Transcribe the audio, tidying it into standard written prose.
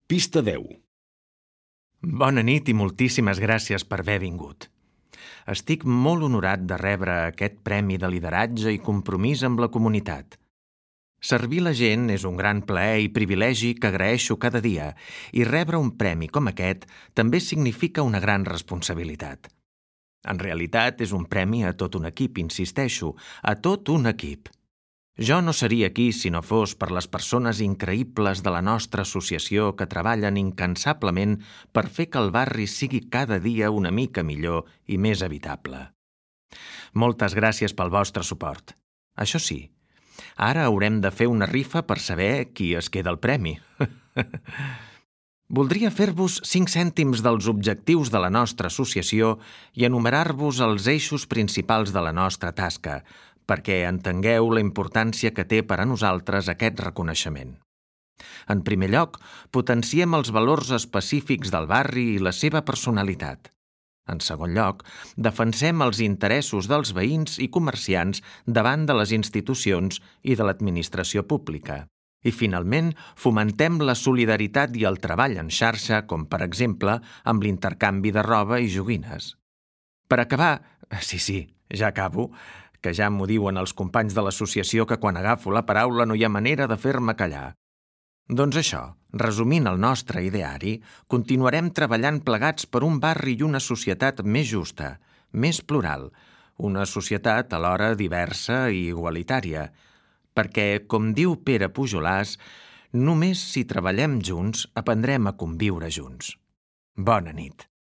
Pista 10. Bona nit i moltíssimes gràcies per haver vingut. Estic molt honorat de rebre aquest premi de lideratge i compromís amb la comunitat. Servir la gent és un gran plaer i privilegi que agraeixo cada dia i rebre un premi com aquest també significa una gran responsabilitat. En realitat és un premi a tot un equip, insisteixo, a tot un equip. Jo no seria aquí si no fos per les persones increïbles de la nostra associació que treballen incansablement per fer que el barri sigui cada dia una mica millor i més habitable. Moltes gràcies pel vostre suport. Això sí, ara haurem de fer una rifa per saber qui es queda el premi. Voldria fer-vos 5 cèntims dels objectius de la nostra associació i enumerar-vos els eixos principals de la nostra tasca, perquè entengueu la importància que té per a nosaltres aquest reconeixement. En primer lloc, potenciem els valors específics del barri i la seva personalitat. En segon lloc, defensem els interessos dels veïns i comerciants davant de les institucions i de l'administració pública. I, finalment, fomentem la solidaritat i el treball en xarxa, com, per exemple, amb l'intercanvi de roba i joguines. Per acabar, sí, ja acabo, que ja m'ho diuen els companys de l'associació que quan agafo la paraula no hi ha manera de fer-me callar. Doncs això, resumint el nostre ideari, continuarem treballant plegats per un barri i una societat més justa, més plural, una societat alhora diversa i igualitària, perquè, com diu Pere Pujolàs, només si treballem junts aprendrem a conviure junts. Bona nit.